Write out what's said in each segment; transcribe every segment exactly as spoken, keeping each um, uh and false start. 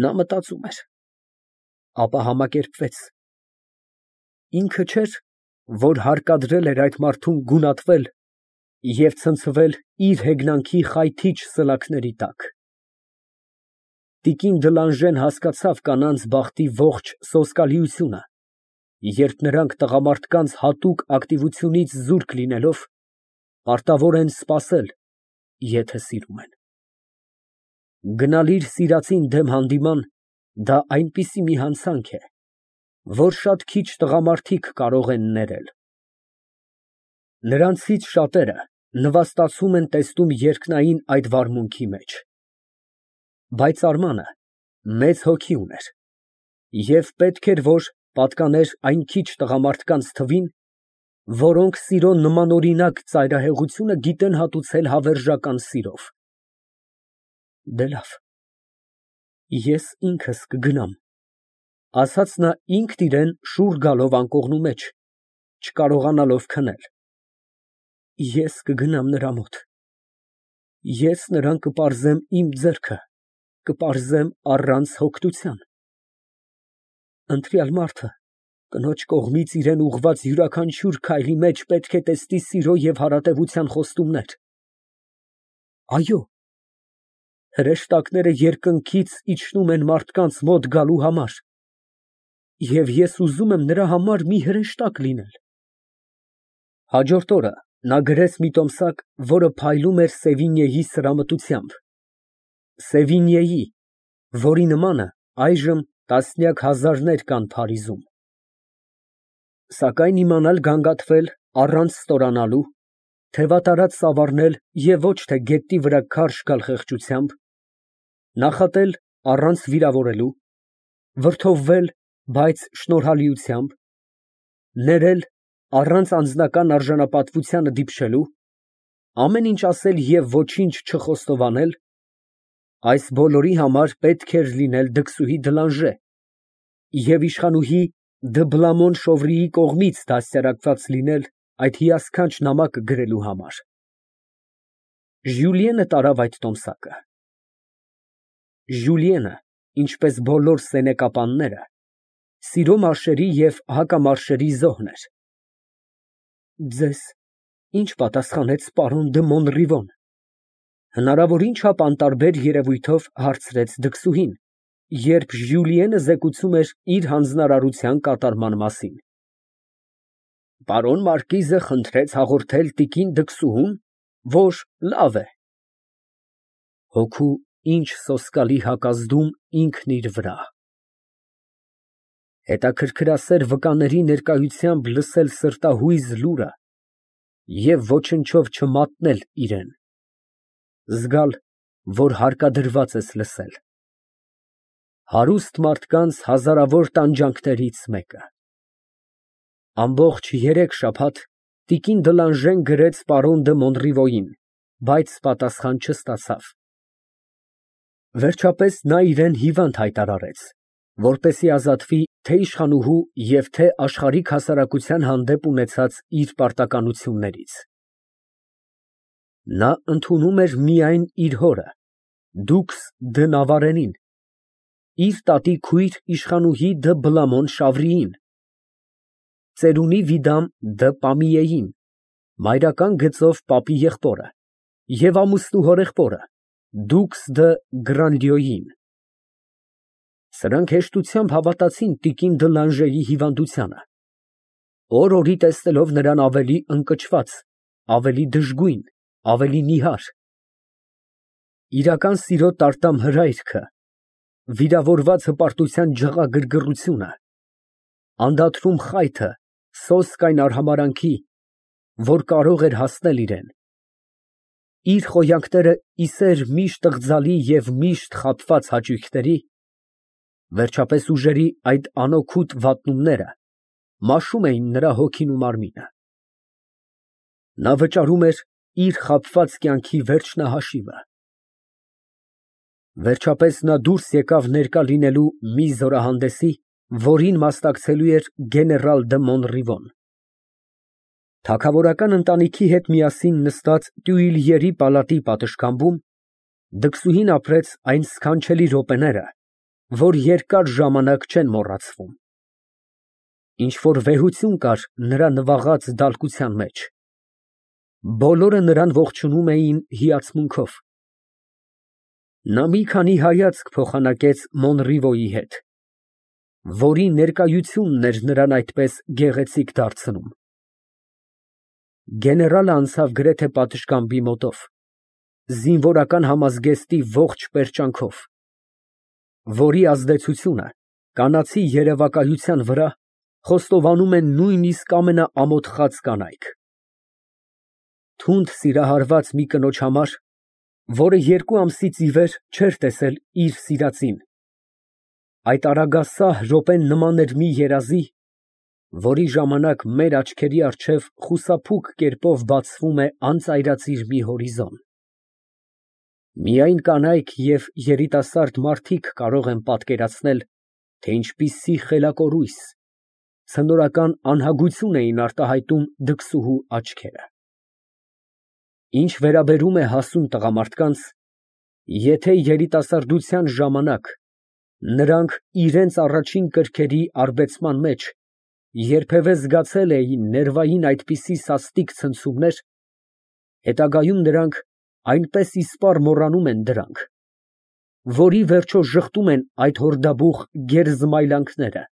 Նա մտածում էր, ապա համակերպվեց. ինքը չէր, որ հարկադրել էր այդ մարդուն գունատվել և ցնցվել իր հեգնանքի խայթիչ սլաքների տակ։ Տիկին Դլանժեն հասկացավ կանանց բախտի ողջ սոսկալիությունը, երբ նրանք տղամարդկանց հատուկ ակտիվությունից զուրկ լինելով, պարտավոր են սպասել, եթե սիրում են։ Գնալ իր սիրածին դեմ հանդիման դա այնպիսի մի հանցանք է, որ շատ քիչ տղամարդիկ կարող են ներել։ Նրանցից շատերը նվաստացում են տեսնում երկնային այդ վարմունքի մեջ։ Բայց Արմանը մեծ հոգի ուներ և պետք էր, որ պատկաներ այն քիչ տղամարդկանց թվին, որոնք սիրո նմանօրինակ ծայրահեղությունը գիտեն հատուցել հավերժական սիրով։ Դե լավ, ես ինքս կգնամ, ֊ ասաց նա ինքն իրան շուռ գալով անկողնու մեջ, չկարողանալով քնել։ Ես կգնամ նրա մոտ, ես նրան կպարզեմ իմ ձեռքը, կպարզեմ առանց հոգնության։ Ընտրյալ մարդը կնոջ կողմից իրան ուղղված յուրաքանչյուր քայլի մեջ պետք է տեսնի սիրո և հարատևության խոստումներ։ Այո, հրեշտակները երկնքից իջնում են մարդկանց մոտ գալու համար, և ես ուզում եմ նրա համար մի հրեշտակ լինել։ Հաջորդ օրը նա գրեց մի տոմսակ, որը փայլում էր Սևինիեի սրամտությամբ, Սևինիեի, որի նմանը այժմ տասնյակ հազարներ կան Փարիզում։ Սակայն իմանալ գանգատվել առանց ստորանալու, թևատարած ծավալնել և ոչ թե գետնի վրա քարշ գալ խեղճությամբ, նախատել առանց վիրավորելու, վրդովվել, բայց շնորհալիությամբ, ներել առանց անձնական արժանապատվությանը դիպչելու, ամեն ինչ ասել և ոչինչ չխոստովանել, այս բոլորի համար պետք էր լինել դքսուհի Դլանժե և իշխանուհի Դը Բլամոն֊Շովրիի կողմից դաստիարակված լինել այդ հիասքանչ նամակը գրելու համար։ Ժյուլիենը տարավ այդ տոմսակը։ Ժուլիենը, ինչպես բոլոր սենեկապանները, սիրո մարշերի և հակամարշերի զոհն էր։ Ձեզ ի՞նչ պատասխանեց պարոն դը Մոնրիվոն, ֊ հնարավորին չափ անտարբեր երևույթով հարցրեց դքսուհին, երբ Ժյուլիենը զեկուցում էր իր հանձնարարության կատարման մասին։ Պարոն մարկիզը խնդրեց հաղորդել տիկին դքսուհուն, որ լավ է։ Հոգու ինչ սոսկալի հակազդում ինքն իր վրա։ Հետաքրքրասեր վկաների ներկայությամբ լսել սրտահույզ լուրը և ոչնչով չմատնել իրան, զգալ, որ հարկադրված ես լսել։ Հարուստ մարդկանց հազարավոր տանջանքներից մեկը։ Ամբողջ երեք շաբաթ տիկին Դլանժեն գրեց պարոն դը Մոնրիվոյին, բայց պատասխան չստացավ։ Վերջապես նա իրան հիվանդ հայտարարեց, որպեսզի ազատվի թե իշխանուհու և թե աշխարհիկ հասարակության հանդեպ ունեցած իր պարտականություններից։ Նա ընդունում էր միայն իր հորը, դուքս դը Նավարենին, իր տատի քույր իշխանուհի դը Բլամոն֊Շավրիին, ծերունի վիդամ դը Պամիեին, մայրական գծով պապի եղբորը և ամուսնու հորեղբորը, դուքս դը Գրանլյոյին։ Սրանք հեշտությամբ հավատացին տիկին Դլանժեի հիվանդությանը, օր֊օրի տեսնելով նրան ավելի ընկճված, ավելի դժգույն, ավելի նիհար։ Իրական սիրո տարտամ հրայրքը, վիրավորված հպարտության ջղագրգռությունը, անդադրում խայթը սոսկ այն արհամարհանքի, որ կարող էր հասնել իրան, իր խոյանքները ի սեր միշտ ըղձալի և միշտ խաբված հաճույքների, վերջապես ուժերի այդ անօգուտ վատնումները մաշում էին նրա հոգին ու մարմինը։ Նա վճարում էր իր խաբված կյանքի վերջնահաշիվը։ Վերջապես նա դուրս եկավ ներկա լինելու մի զորահանդեսի, որին մասնակցելու էր գեներալ դը Մոնրիվոն։ Թագավորական ընտանիքի հետ միասին նստած Տյուիլյերի պալատի պատշգամբում դքսուհին ապրեց այն սքանչելի րոպեները, որ երկար ժամանակ չեն մոռացվում։ Ինչ֊որ վեհություն կար նրա նվաղած դալկության մեջ։ Բոլորը նրան ողջունում էին հիացմունքով։ Նա մի քանի հայացք փոխանակեց Մոնրիվոյի հետ, որի ներկայությունն էր նրան այդպես գեղեցիկ դարձնում։ Գեներալը անցավ գրեթե պատշգամբի մոտով, զինվորական համազգեստի ողջ պերճանքով, որի ազդեցությունը կանացի երևակայության վրա խոստովանում են նույնիսկ ամենաամոթխած կանայք։ Թունդ սիրահարված մի կնոջ համար, որը երկու ամսից ի վեր չէր տեսել իր սիրածին, այդ արագասահ րոպեն նման էր մի երազի, որի ժամանակ մեր աչքերի առջև խուսափուկ կերպով բացվում է անծայրածիր մի հորիզոն։ Միայն կանայք և երիտասարդ մարդիկ կարող են պատկերացնել, թե ինչպիսի խելակորույս, ցնորական անհագություն էին արտահայտում դքսուհու աչքերը։ Ինչ վերաբերում է հասուն տղամարդկանց, եթե երիտասարդության ժամանակ նրանք իրենց առաջին կրքերի արբեցման մեջ երբևէ զգացել էին ներվային այդպիսի սաստիկ ցնցումներ, հետագայում նրանք այնպես իսպառ մոռանում են դրանք, որ ի վերջո ժխտում են այդ հորդաբուխ գերզմայլանքները,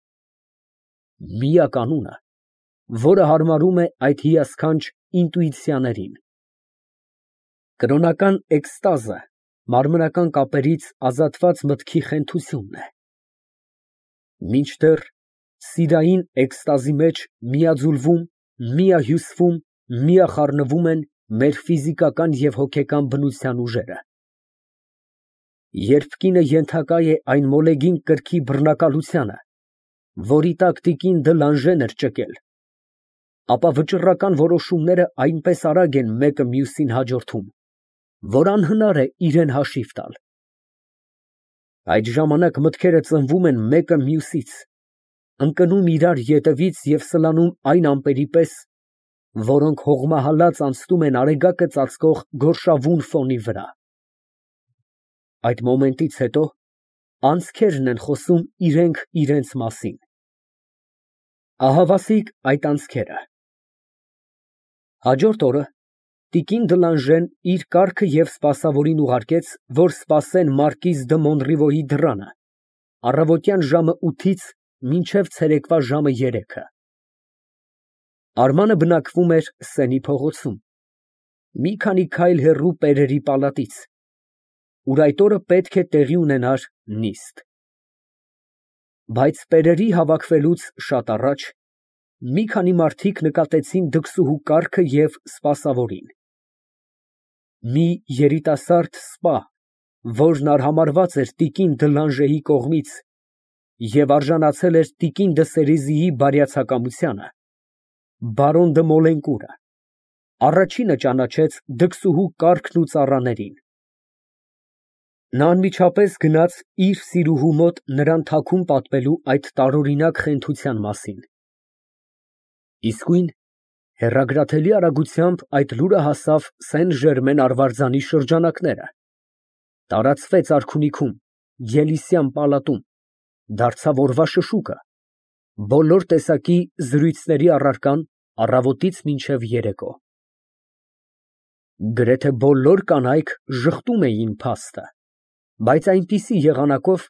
միակ անունը, որը հարմարում է այդ հիասքանչ ինտուիցիաներին։ Կրոնական էկստազը մարմնական կապերից ազատված մտքի խենթությունն է, մինչդեռ սիրային էկստազի մեջ միաձուլվում, միահյուսվում, միախառնվում են մեր ֆիզիկական և հոգեկան բնության ուժերը։ Երբ կինը ենթակա է այն մոլեգին կրքի բռնակալությանը, որի տակ տիկին Դլանժեն էր ճկել, ապա վճռական որոշումները այնպես արագ են մեկը մյուսին հաջորդում, որ անհնար է իրան հաշիվ տալ։ Այդ ժամանակ մտքերը ծնվում են մեկը մյուսից, ընկնում իրար ետևից և սլանում այն ամպերի պես, որոնք հողմահալած անցնում են արեգակը ծածկող գորշավուն ֆոնի վրա։ Այդ մոմենտից հետո անցքերն են խոսում իրենք իրենց մասին։ Ահավասիկ այդ անցքերը։ Հաջորդ օրը տիկին Դլանժեն իր կառքը և սպասավորին ուղարկեց, որ սպասեն մարկիզ դը Մոնրիվոյի դռանը, առավոտյան ժամը ութից մինչև ցերեկվա ժամը երեքը։ Արմանը բնակվում էր Սենի փողոցում, մի քանի քայլ հեռու Պերերի պալատից, ուր այդ օրը պետք է տեղի ունենար նիստ։ Բայց Պերերի հավաքվելուց շատ առաջ մի քանի մարդիկ նկատեցին դքսուհու կառքը և սպասավորին։ Մի երիտասարդ սպա, որն արհամարհված էր տիկին Դլանժեի կողմից և արժանացել էր տիկին դը Սերիզիի բարյացակամությանը, բարոն դը Մոլենկուրը, առաջինը ճանաչեց դքսուհու կառքն ու ծառաներին։ Նա անմիջապես գնաց իր սիրուհու մոտ նրան թաքուն պատմելու այդ տարօրինակ խենթության մասին։ Իսկույն հեռագրաթելի արագությամբ այդ լուրը հասավ Սեն֊Ժերմեն արվարձանի շրջանակները, տարածվեց արքունիքում, Ելիսյան պալատում, դարձավ օրվա շշուկը, բոլոր տեսակի զրույցների առարկան առավոտից մինչև երեկո։ Գրեթե բոլոր կանայք ժխտում էին փաստը, բայց այնպիսի եղանակով,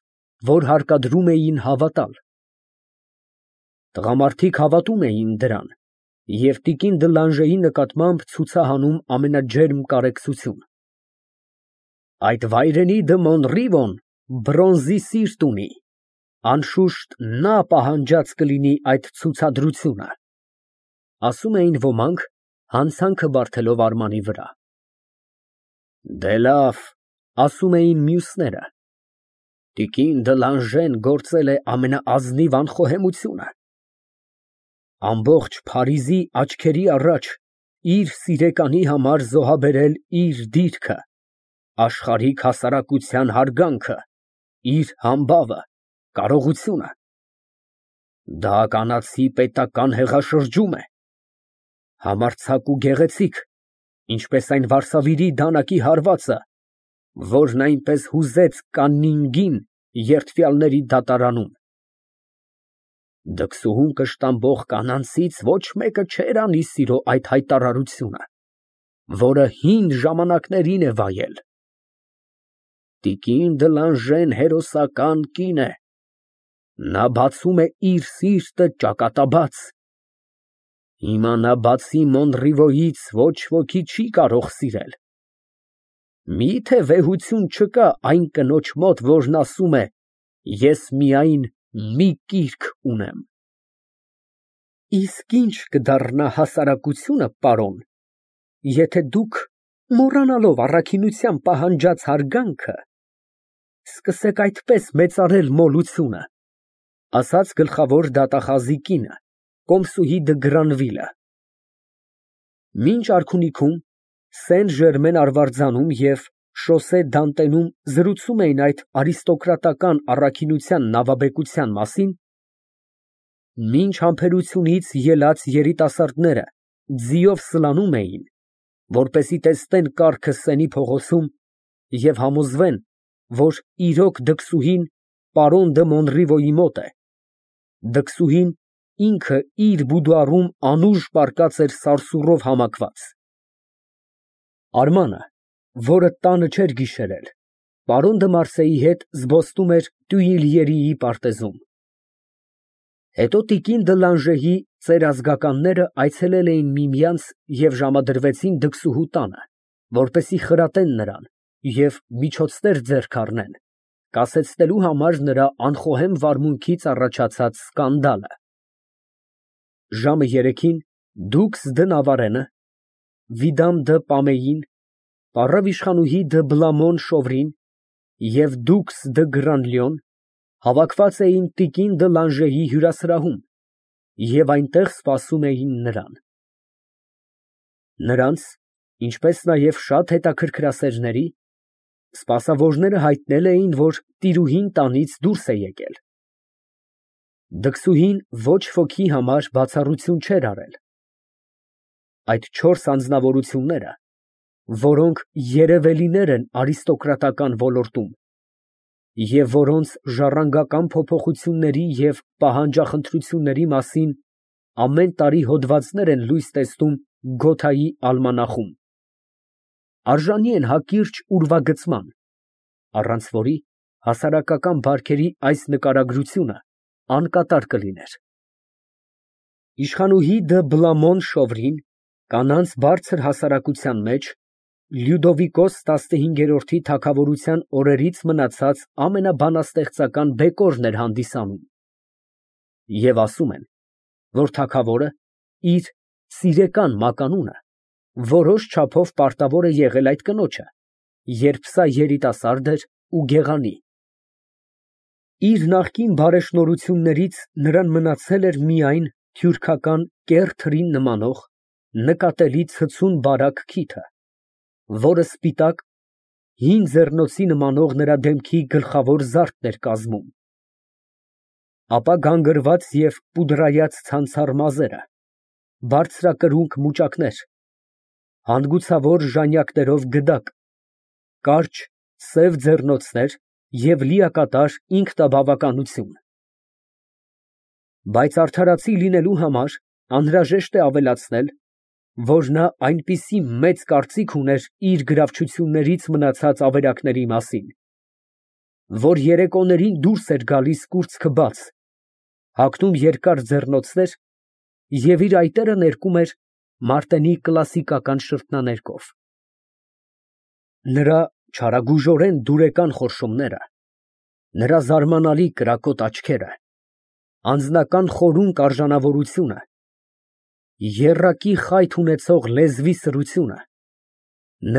որ հարկադրում էին հավատալ։ Տղամարդիկ հավատում էին դրան և տիկին Դլանժեի նկատմամբ ցուցահանում ամենաջերմ կարեկցություն։ Այդ վայրենի դը Մոնրիվոն բրոնզի սիրտ ունի, անշուշտ նա պահանջած կլինի այդ ցուցադրությունը, ասում էին ոմանք, հանցանքը բարդելով Արմանի վրա։ Դե լավ, ասում էին մյուսները, տիկին Դլանժեն գործել է ամենաազնիվ անխոհեմությունը։ Ամբողջ Փարիզի աչքերի առաջ իր սիրեկանի համար զոհաբերել իր դիրքը, աշխարհիկ հասարակության հարգանքը, իր համբավը, կարողությունը։ Դա կանացի պետական հեղաշրջում է, համարձակ ու գեղեցիկ, ինչպես այն Վարշավիռի դանակի հարվածը, որն այնպես հուզեց Կաննինգին երդվյալների դատարանում։ Դքսուհուն կշտամբող կանանցից ոչ մեկը չէր անի սիրո այդ հայտարարությունը, որը հին ժամանակներին է վայել։ Տիկին Դլանժեն հերոսական կին է, նա բացում է իր սիրտը ճակատաբաց, հիմա նա բացի Մոնրիվոյից ոչ ոքի չի կարող սիրել։ Մի՞թե վեհություն չկա այն կնոջ մոտ, որն ասում է. ես միայն մի կիրք ունեմ։ Իսկ ի՞նչ կդառնա հասարակությունը, պարոն, եթե դուք, մոռանալով առաքինության պահանջած հարգանքը, սկսեք այդպես մեծարել մոլությունը, ասաց գլխավոր դատախազի կինը, Կոմսուհի դը Գրանվիլը։ Մինչ արքունիքում, Սեն֊Ժերմեն արվարձանում և Շոսե Դանտենում զրուցում էին այդ արիստոկրատական առաքինության նավաբեկության մասին, մինչ համբերությունից ելած երիտասարդները ձիով սլանում էին, որպեսզի տեսնեն կառքը Սենի փողոցում և համոզվեն, որ իրոք դքսուհին պարոն դը Մոնրիվոյի մոտ է, դքսուհին ինքը իր բուդուարում անուշ պառկած էր սարսուռով համակված։ Արմանը, որը տանը չէր գիշերել, պարոն դը Մարսեի հետ զբոսնում էր Տյուիլյերիի պարտեզում։ Հետո տիկին Դլանժեի ծերազգականները այցելել էին միմյանց և ժամադրվեցին դքսուհու տանը, որպեսզի խրատեն նրան և միջոցներ ձեռք առնեն, կասեցնելու համար նրա անխոհեմ վարմունքից առաջացած սկանդալը։ Ժամը երեքին դուքս դը Նավարենը, Վիդամ դը Պամեին, պարավ իշխանուհի դը Բլամոն Շովրին և դուքս դը Գրանլյոն հավաքված էին տիկին Դլանժեի հյուրասրահում և այնտեղ սպասում էին նրան։ Նրանց, ինչպես նաև շատ հետաքրքրասերների, սպասավորները հայտնել էին, որ տիրուհին տանից դուրս է եկել։ Դքսուհին ոչ ոքի համար բացառություն չէր արել։ Այդ չորս անձնավորությունները, որոնք երևելիներ են արիստոկրատական ոլորտում և որոնց ժառանգական փոփոխությունների և պահանջախնդրությունների մասին ամեն տարի հոդվածներ են լույս տեսնում Գոթայի ալմանախում, արժանի են հակիրճ ուրվագծման, առանց որի հասարակական բարքերի այս նկարագրությունը անկատար կլիներ։ Իշխանուհի դը Բլամոն Շովրին կանանց բարձր հասարակության մեջ Լյուդովիկոս տասնհինգերորդի թագավորության օրերից մնացած ամենաբանաստեղծական բեկորն էր հանդիսանում, և ասում են, որ թագավորը իր սիրեկան մականունը որոշ չափով պարտավոր է եղել այդ կնոջը, երբ սա երիտասարդ էր ու գեղանի։ Իր նախկին բարեշնորհություններից նրան մնացել էր միայն թյուրքական կեռ թրին նմանող նկատելի ցցուն բարակ քիթը, որը սպիտակ, հին ձեռնոցի նմանող նրա դեմքի գլխավոր զարդն էր կազմում, ապա գանգրված և պուդրայած ցանցառ մազերը, բարձրակրունկ մուճակներ, հանգուցավոր ժանյակներով գդակ, կարճ սև ձեռնոցներ և լիակատար ինքնաբավականություն։ Բայց արդարացի լինելու համար անհրաժեշտ է ավելացնել, որ նա այնպիսի մեծ կարծիք ուներ իր գրավչություններից մնացած ավերակների մասին, որ երեկոներին դուրս էր գալիս կուրծքը բաց, հագնում երկար ձեռնոցներ և իր այտերը ներկում էր Մարտենի կլասիկական շրթնաներկով։ Նրա չարագույժորեն դուրեկան խորշումները, նրա զարմանալի կրակոտ աչքերը, անձնական խորունկ արժանավորությունը, եռակի խայթ ունեցող լեզվի սրությունը,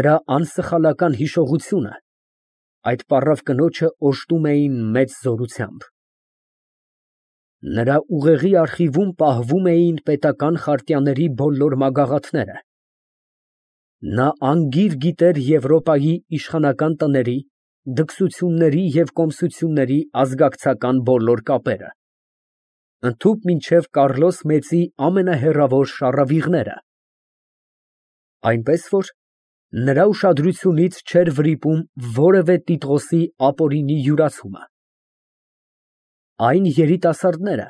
նրա անսխալական հիշողությունը այդ պառավ կնոջը օժտում էին մեծ զորությամբ։ Նրա ուղեղի արխիվում պահվում էին պետական խարտյաների բոլոր մագաղաթները։ Նա անգիր գիտեր Եվրոպայի իշխանական տների, դքսությունների և կոմսությունների ազգակցական բոլոր կապերը, ընդհուպ մինչև Կառլոս Մեծի ամենահեռավոր շառավիղները, այնպես որ նրա ուշադրությունից չէր վրիպում որևէ տիտղոսի ապօրինի յուրացումը։ Այն երիտասարդները,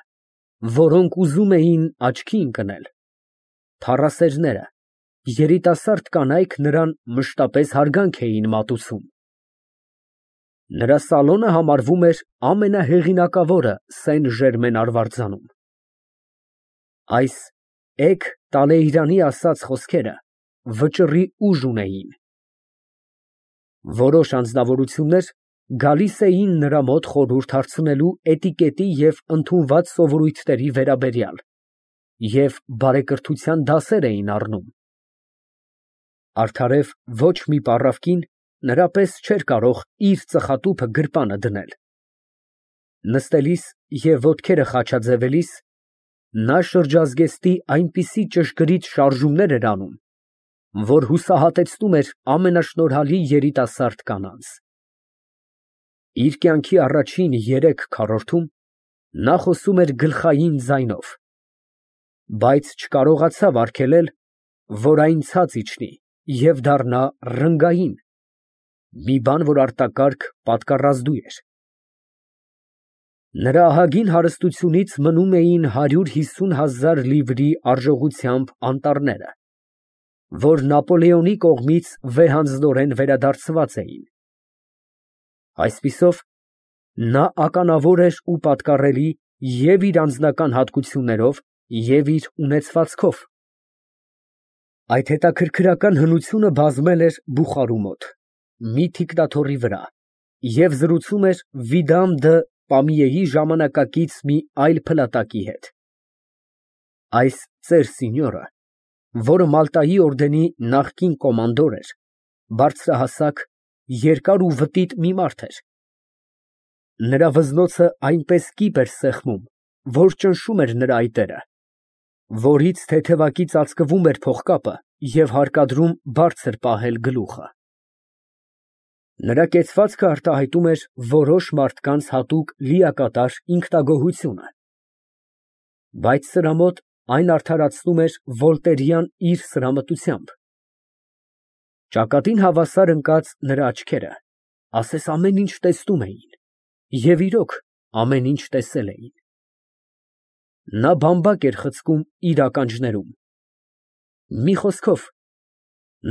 որոնք ուզում էին աչքի ընկնել, փառասերները, երիտասարդ կանայք նրան մշտապես հարգանք էին մատուցում։ Նրա սալոնը համարվում էր ամենահեղինակավորը Սեն֊Ժերմեն արվարձանում։ Այս էգ Տալեյրանի ասած խոսքերը վճռի ուժ ունեին։ Որոշ անձնավորություններ գալիս էին նրա մոտ խորհուրդ հարցնելու էտիկետի և ընդունված սովորույթների վերաբերյալ և բարեկրթության դասեր էին առնում։ Արդարև ոչ մի պառավ կին նրա պես չէր կարող իր ծխատուփը գրպանը դնել։ Նստելիս և ոտքերը խաչաձևելիս նա շրջազգեստի այնպիսի ճշգրիտ շարժումներ էր անում, որ հուսահատեցնում էր ամենաշնորհալի երիտասարդ կանանց։ Իր կյանքի առաջին երեք քառորդում նա խոսում էր գլխային ձայնով, բայց չկարողացավ արգելել, որ այն ցած իջնի և դառնա ռնգային, մի բան, որ արտակարգ պատկառազդու էր։ Նրա ահագին հարստությունից մնում էին հարյուր հիսուն հազար լիվրի արժողությամբ անտառները, որ Նապոլեոնի կողմից վեհանձնորեն վերադարձված էին։ Այսպիսով, նա ականավոր էր ու պատկառելի և իր անձնական հատկություններով, և իր ունեցվածքով։ Այդ հետաքրքրական հնությունը բազմել էր Բուխարու մոտ, մի թիկնաթոռի վրա, և զրուցում էր Վիդամ դը Պամիեի ժամանակակից մի այլ փլատակի հետ։ Այս ծեր սինյորը, որը Մալտայի օրդենի նախկին կոմանդոր էր, բարձրահասակ, երկար ու վտիտ մի մարդ էր։ Նրա վզնոցը այնպես կիպ էր սեղմում, որ ճնշում էր նրա այտերը, որից թեթևակի ծածկվում էր փողկապը և հարկադրում բարձր պահել գլուխը։ Նրա կեցվածքը արտահայտում էր որոշ մարդկանց հատուկ լիակատար ինքնագոհությունը, բայց սրա մոտ այն արդարացնում էր վոլտերյան իր սրամտությամբ։ Ճակատին հավասար ընկած նրա աչքերը ասես ամեն ինչ տեսնում էին, և իրոք ամեն ինչ տեսել էին։ Նա բամբակ էր խցկում իր ականջներում։ Մի խոսքով,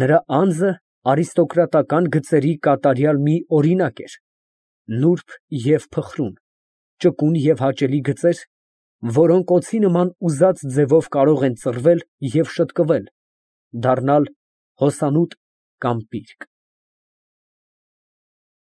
նրա անձը արիստոկրատական գծերի կատարյալ մի օրինակ էր, նուրբ և փխրուն, ճկուն և հաճելի գծեր, որոնք օձի նման ուզած ձևով կարող են ծռվել և շտկվել, դառնալ հոսանոթ կամ պիրկ։